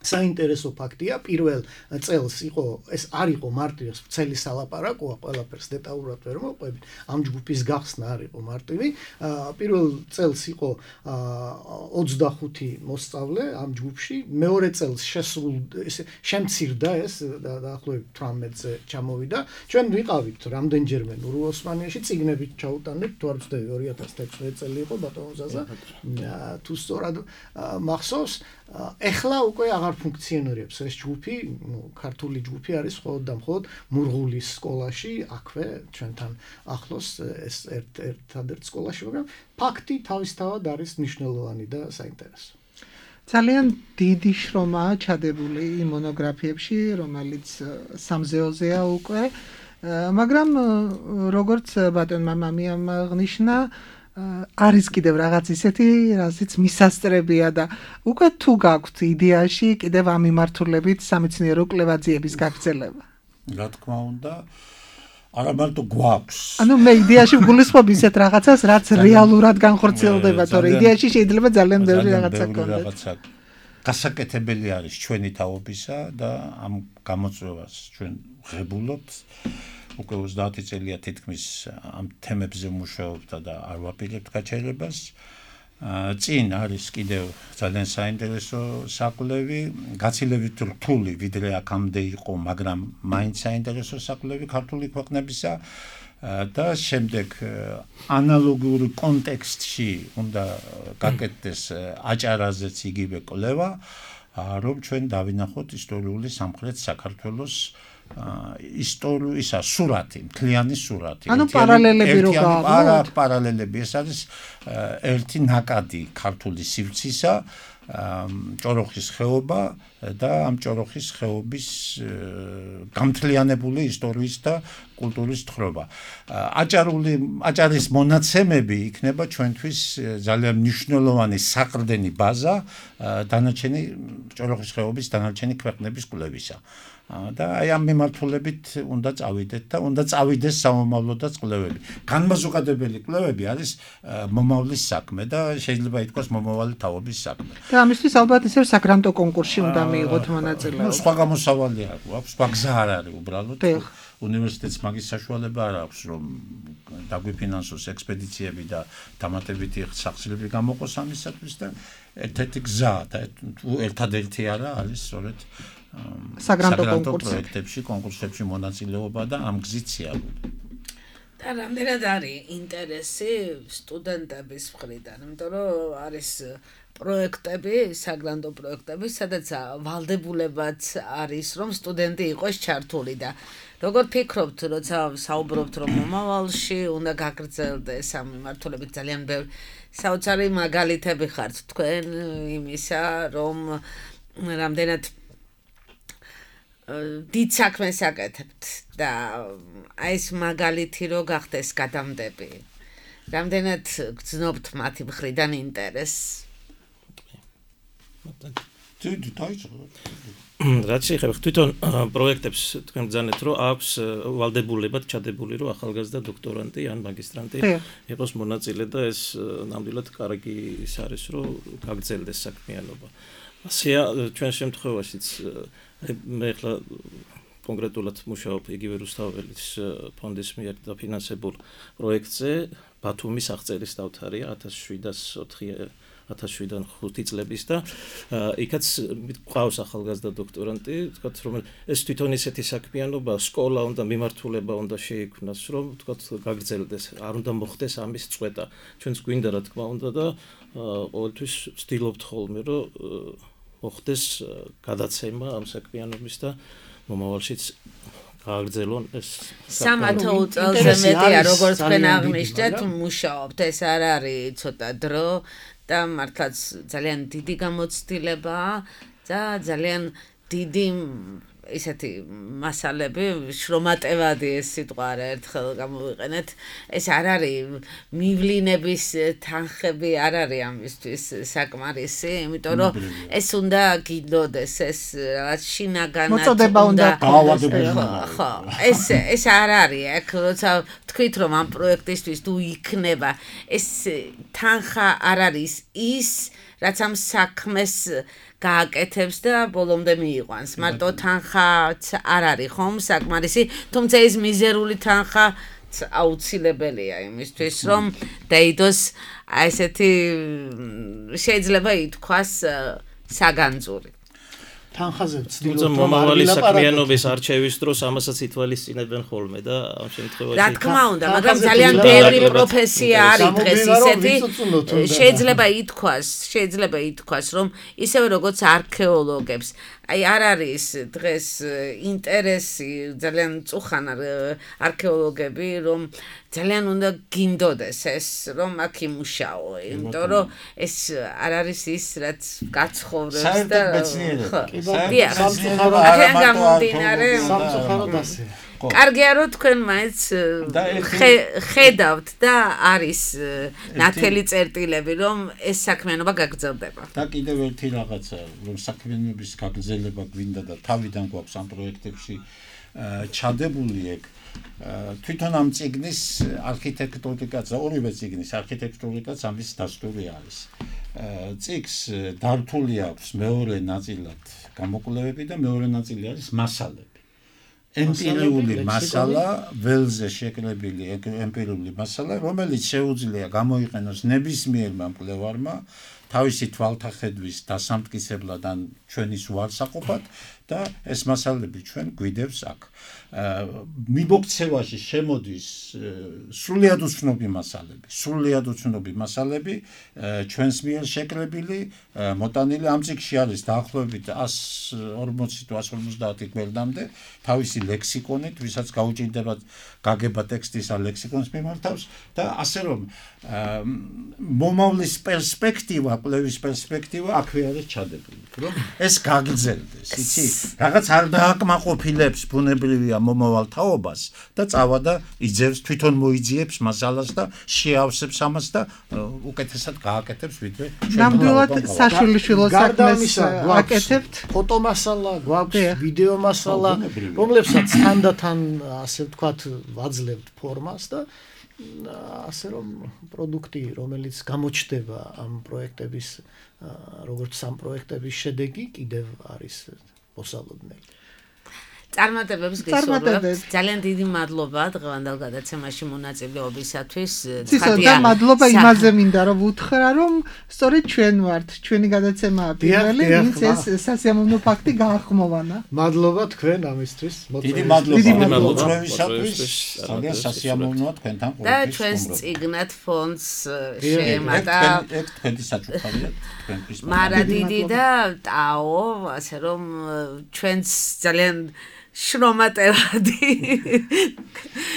საინტერესო ფაქტია, პირველ წელს იყო ეს არ იყო მარტივი წელი სალაპარაკოა, ყველაფერს დეტალურად ვერ მოყვებით. ამ ჯგუფის გახსნა არ იყო მარტივი. პირველ წელს იყო ოცდახუთი მოსწავლე ამ ჯგუფში, მეორე წელს შესულ შემცირდა ეს დაახლოებით თვრამეტზე ჩამოვიდა. ჩვენ ვიყავით რამდენჯერმე ნურულ ოსმანიაში, წიგნებით ჩაუტანებთ, თუ არ ვცდები ორი ათას თერთმეტი წელი იყო ბატონო ზაზა. თუ სწორად მახსოვს, ეხლა უკვე აღარ ფუნქციონირებს ეს ჯგუფი, ქართული ჯგუფი არის მხოლოდ და მხოლოდ მურღულის სკოლაში, აქვე ჩვენთან ახლოს ეს ერთ-ერთ სკოლაში, მაგრამ ფაქტი თავისთავად არის მნიშვნელოვანი და საინტერესო. ძალიან დიდი შრომაა ჩადებული იმ მონოგრაფიებში, რომელიც სამზეოზეა უკვე, მაგრამ როგორც ბატონმა მამიამ აღნიშნა, არის კიდევ რაღაც ისეთი, რაზეც მისასწრებია და უკვე თუ გაქვთ იდეაში კიდევ ამ მიმართულებით სამეცნიერო კვლევაძიების გაგრძელება. რა თქმა უნდა, არა მარტო გვაქვს. ანუ მე იდეაში ვგულისხმობ ისეთ რაღაცას, რაც რეალურად განხორციელდება, თორე იდეაში შეიძლება ძალიან ბევრი რაღაცა გქონდეს. გასაკეთებელი არის ჩვენი თაობისა და ამ გამოწვევას ჩვენ ღებულობთ. უკვე ოცდაათი წელია თითქმის ამ თემებზე მუშაობთ და არ ვაპირებთ გაჩერებას. წინ არის კიდევ ძალიან საინტერესო საკვლევი, გაცილებით რთული, ვიდრე აქამდე იყო, მაგრამ მაინც საინტერესო საკვლევი ქართული ქვეყნებისა და შემდეგ ანალოგიური კონტექსტში უნდა გაკეთდეს აჭარაზეც იგივე კვლევა, რომ ჩვენ დავინახოთ ისტორიული სამხრეთ საქართველოს ისტორიისა სურათი, მთლიანი სურათი. ანუ პარალელები რო გააქვს. პარალელები, ეს არის ერთი ნაკადი ქართული სივრცისა, ჭოროხის ხეობა და ამ ჭოროხის ხეობის გამთლიანებული ისტორიის და კულტურის თხრობა. აჭარული აჭარის მონაცემები იქნება ჩვენთვის ძალიან მნიშვნელოვანი საყრდენი ბაზა დანარჩენი ჭოროხის ხეობის დანარჩენი ქვეყნების კვლევისა. და აი ამ მიმართულებით უნდა წავიდეთ და უნდა წავიდეს სამომავლოდაც კვლევები. განმაზოგადებელი კვლევები არის მომავლის საქმე და შეიძლება ითქვას მომავალი თაობის საქმე. და ამისთვის ალბათ ისევ საგრანტო კონკურსში უნდა მიიღოთ მონაწილეობა. სხვა გამოსავალი არ აქვს, სხვა გზა არ არის უბრალოდ. უნივერსიტეტს მაგის საშუალება არ აქვს, რომ დაგვიფინანსოს ექსპედიციები და დამატებითი სახსრები გამოყოს ამისათვის და ერთ-ერთი გზა და ერთადერთი არა არის სწორედ საგრანტო პროექტებში, კონკურსებში მონაწილეობა და ამ გზით სიარული. და რამდენად არის ინტერესი სტუდენტების მხრიდან, იმიტომ რომ არის პროექტები, საგრანტო პროექტები, სადაც ვალდებულებაც არის, რომ სტუდენტი იყოს ჩართული და როგორ ფიქრობთ, როცა საუბრობთ, რომ მომავალში უნდა გაგრძელდეს ამ მიმართულებით ძალიან ბევრი საოცარი მაგალითები ხართ თქვენ იმისა, რომ რამდენად დიდ საქმეს აკეთებთ და აი ეს მაგალითი რო გახდეს გადამდები. რამდენად გძნობთ მათი მხრიდან ინტერესს? დიდი დაიწყო. რაც შეეხება თვითონ პროექტებს თქვენ ბრძანეთ, რომ აქვს ვალდებულებად ჩადებული, რომ ახალგაზრდა დოქტორანტი ან მაგისტრანტი იყოს მონაწილე და ეს ნამდვილად კარგი ის არის, რომ გაგრძელდეს საქმიანობა. ასეა ჩვენ შემთხვევაშიც მე ახლა კონკრეტულად მუშაობ იგივე რუსთაველის ფონდის მიერ დაფინანსებულ პროექტზე, ბათუმის აღწერის დავთარია ათას შვიდან ხუთი წლების და იქაც მყავს ახალგაზრდა დოქტორანტი, თქვათ რომ ეს თვითონ ისეთი საქმიანობა, სკოლა უნდა მიმართულება უნდა შეიქმნას, რომ თქვათ გაგრძელდეს, არ უნდა მოხდეს ამის წვეტა. ჩვენც გვინდა რა თქმა უნდა და ყოველთვის ვცდილობთ ხოლმე, რომ მოხდეს გადაცემა ამ საქმიანობის და მომავალშიც გააგრძელონ ეს სამათო წელზე მეტია, როგორც თქვენ აღნიშნეთ, მუშაობთ, ეს არ არის ცოტა დრო და მართლაც ძალიან დიდი გამოცდილებაა და ძალიან დიდი ისეთი მასალები, შრომატევადი ეს სიტყვა არა ერთხელ გამოვიყენეთ. ეს არ არის მივლინების თანხები არ არის ამისთვის საკმარისი, იმიტომ რომ ეს უნდა გინდოდეს, ეს რაღაც შინაგანად მოწოდება უნდა ხო, ეს ეს არ არის, აქ როცა თქვით რომ ამ პროექტისთვის თუ იქნება, ეს თანხა არ არის ის, რაც ამ საქმეს გააკეთებს და ბოლომდე მიიყვანს. მარტო თანხაც არ არის ხომ საკმარისი, თუმცა ეს მიზერული თანხა აუცილებელია იმისთვის, რომ დაიდოს აი ესეთი შეიძლება ითქვას საგანძური. თანხაზე ვცდილობთ რომ მომავალი საქმიანობის არჩევის დროს ამასაც ითვალისწინებენ ხოლმე და ამ შემთხვევაში რა თქმა უნდა, მაგრამ ძალიან ბევრი პროფესია არის დღეს ისეთი, შეიძლება ითქვას, შეიძლება ითქვას, რომ ისევე როგორც არქეოლოგებს, აი არ არის დღეს ინტერესი ძალიან მწუხან არქეოლოგები, რომ ძალიან უნდა გინდოდეს ეს, რომ აქ იმუშაო, იმიტომ რომ ეს არ არის ის, რაც გაცხოვრებს და კარგია რომ თქვენ მაინც ხედავთ და არის ნათელი წერტილები, რომ ეს საქმიანობა გაგრძელდება. და კიდევ ერთი რაღაცა, რომ საქმიანობის გაგრძელება გვინდა და თავიდან გვაქვს ამ პროექტებში ჩადებული ეგ თვითონ ამ წიგნის არქიტექტურიკაც, ორივე წიგნის არქიტექტურიკაც ამის დასტური არის. წიგნს დართული აქვს მეორე ნაწილად გამოკვლევები და მეორე ნაწილი არის მასალები. ემპირიული მასალა, ველზე შეკრებილი ემპირიული მასალა, რომელიც შეუძლია გამოიყენოს ნებისმიერმა მკვლევარმა თავისი თვალთახედვის დასამტკიცებლად ან ჩვენის უარსაყოფად და ეს მასალები ჩვენ გვიდევს აქ. მიბოქცევაში შემოდის სრულიად უცნობი მასალები, სრულიად უცნობი მასალები ჩვენს მიერ შეკრებილი, მოტანილი ამ წიგნში არის დაახლოებით εκατს ორმოცი თუ εκατს ორმოცდაათი გვერდამდე თავისი ლექსიკონით, ვისაც გაუჭირდება გაგება ტექსტის ან ლექსიკონის მიმართავს და ასე რომ მომავლის პერსპექტივა, კვლევის პერსპექტივა აქვე არის ჩადებული, რომ ეს გაგრძელდეს, იცი? რაღაც არ დააკმაყოფილებს ბუნებრივია მომავალ თაობას და წავა და იძევს, თვითონ მოიძიებს მასალას და შეავსებს ამას და უკეთესად გააკეთებს ვიდრე ნამდვილად საშვილიშვილო საქმეს აკეთებთ. ფოტომასალა გვაქვს, ვიდეო მასალა, რომლებსაც თანდათან ასე ვთქვათ ვაძლევთ ფორმას და ასე რომ პროდუქტი, რომელიც გამოჩნდება ამ პროექტების, როგორც სამ პროექტების შედეგი, კიდევ არის მოსალოდნელი. წარმატებებს გისურვებთ. ძალიან დიდი მადლობა დღევანდელ გადაცემაში მონაწილეობისათვის. ცისოდა მადლობა იმაზე მინდა რომ ვუთხრა, რომ სწორედ ჩვენ ვართ, ჩვენი გადაცემაა პირველი, ვინც ეს სასიამოვნო ფაქტი გაახმოვანა. მადლობა თქვენ ამისთვის. დიდი მადლობა ჩვენისათვის. ძალიან სასიამოვნოა თქვენთან ყოველთვის. და ჩვენს წიგნად ფონდს შეემატა. ეგ თქვენი საჩუქარია, თქვენთვის. მარადიდი და ტაო, ასე რომ ჩვენს ძალიან შრომატევადი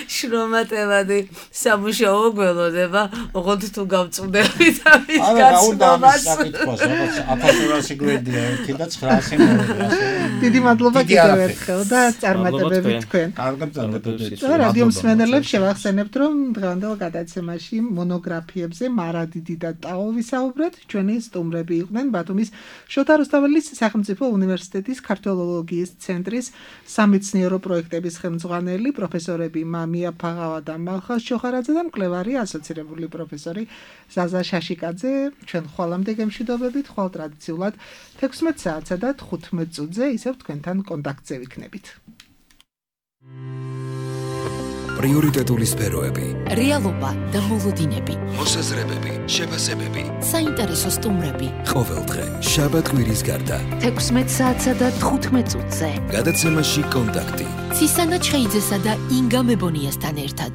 შრომატევადი სამუშაო გველოდება, ოღონდ თუ გავწვდებით ამის გაცნობას. ათას ორასი გვერდია ერთი და ცხრაასი მოვიდა. დიდი მადლობა კიდევ ერთხელ და წარმატებები თქვენ. კარგად წარმატებები. რადიო მსმენელებს შევახსენებთ, რომ დღევანდელ გადაცემაში მონოგრაფიებზე მარადიდი და ტაო ვისაუბრეთ. ჩვენი სტუმრები იყვნენ ბათუმის შოთა რუსთაველის სახელმწიფო უნივერსიტეტის ქართველოლოგიის ცენტრის სამეცნიერო პროექტების ხელმძღვანელი პროფესორები მამია ფაღავა და მალხაზ ჩოხარაძე და მკვლევარი ასოცირებული პროფესორი ზაზა შაშიკაძე. ჩვენ ხვალამდე გემშვიდობებით, ხვალ ტრადიციულად თექვსმეტ საათსა და თხუთმეტ წუთზე ისევ თქვენთან კონტაქტზე ვიქნებით. პრიორიტეტული სფეროები, რეალობა და მოლოდინები, მოსაზრებები, შეფასებები, საინტერესო სტუმრები. ყოველდღე შაბათ-კვირის გარდა თექვსმეტ საათსა და თხუთმეტ წუთზე გადაცემაში კონტაქტი. ცისანა ჩხეიძესა და ინგა მებონიასთან ერთად.